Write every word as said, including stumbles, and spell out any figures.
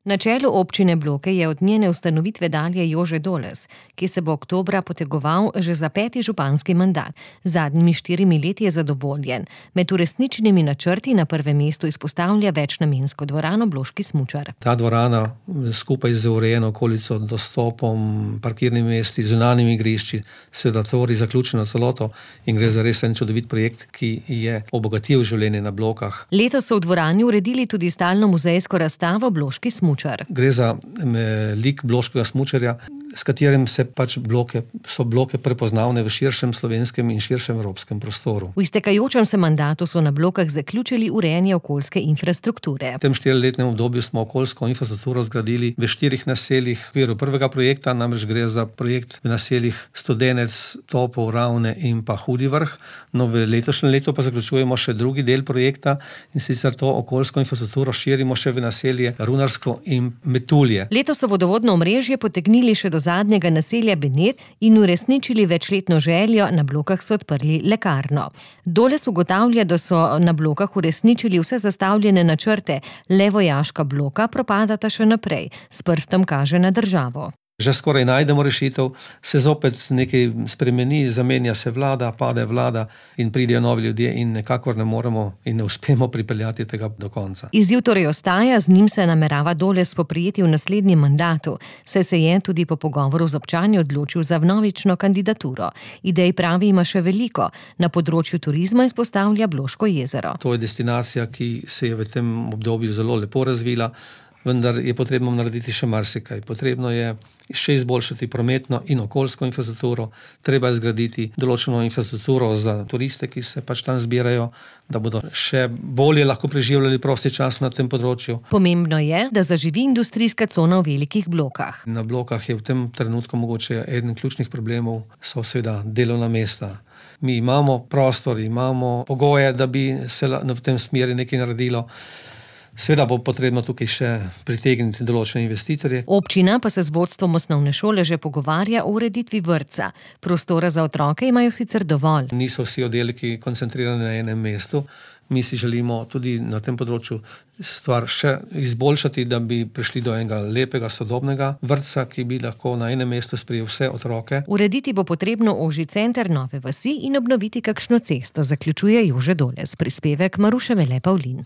Na čelu občine Bloke je od njene ustanovitve dalje Jože Doles, ki se bo oktobra potegoval že za peti županski mandat. Zadnjimi štirimi leti je zadovoljen. Med uresničenimi načrti na prvem mestu izpostavlja večnamensko dvorano Bloški smučar. Ta dvorana skupaj z urejeno okolico, dostopom, parkirnimi mesti, zunanjimi igrišči, seveda tvori zaključeno celoto in gre za res en čudovit projekt, ki je obogatil življenje na Blokah. Letos so v dvorani uredili tudi stalno muzejsko razstavo Bloški smučar. Gre za lik bloškega smučarja, s katerim se pač bloke, so bloke prepoznavne v širšem slovenskem in širšem evropskem prostoru. V iztekajočem se mandatu so na Blokah zaključili urejanje okoljske infrastrukture. V tem štiriletnem obdobju smo okoljsko infrastrukturo zgradili v štirih naseljih v okviru prvega projekta, namreč gre za projekt v naseljih Studenec, Topov, Ravne in pa Hudi Vrh. No, v letošnjem letu pa zaključujemo še drugi del projekta in sicer to okoljsko infrastrukturo širimo še v naselje Runarsko in Metulje. Letos so vodovodno omrežje potegnili še do zadnjega naselja Benet in uresničili večletno željo, na Blokah so odprli lekarno. Doles ugotavlja, da so na Blokah uresničili vse zastavljene načrte, le vojaška bloka propadata še naprej. S prstom kaže na državo. Že skoraj najdemo rešitev, se zopet nekaj spremeni, zamenja se vlada, pade vlada in pridejo novi ljudje in nekakor ne moremo in ne uspemo pripeljati tega do konca. Izziv torej ostaja, z njim se namerava Doles spoprijeti v naslednjem mandatu, saj se je tudi po pogovoru z občani odločil za vnovično kandidaturo. Idej pravi ima še veliko, na področju turizma izpostavlja Bloško jezero. To je destinacija, ki se je v tem obdobju zelo lepo razvila, vendar je potrebno narediti še marsikaj. Potrebno je še izboljšati prometno in okoljsko infrastrukturo, treba je zgraditi določeno infrastrukturo za turiste, ki se pač tam zbirajo, da bodo še bolje lahko preživljali prosti čas na tem področju. Pomembno je, da zaživi industrijska cona v velikih Blokah. Na Blokah je v tem trenutku mogoče eden ključnih problemov, so seveda delovna mesta. Mi imamo prostor, imamo pogoje, da bi se v tem smeri nekaj naredilo. Seveda bo potrebno tukaj še pritegniti določene investitorje. Občina pa se z vodstvom osnovne šole že pogovarja o ureditvi vrtca. Prostora za otroke imajo sicer dovolj. Niso vsi oddelki koncentrirani na enem mestu. Mi si želimo tudi na tem področju stvar še izboljšati, da bi prišli do enega lepega, sodobnega vrtca, ki bi lahko na enem mestu sprejel vse otroke. Urediti bo potrebno ožji center Nove vasi in obnoviti kakšno cesto, zaključuje Jože Doles. Prispevek Maruše Vele Pavlin.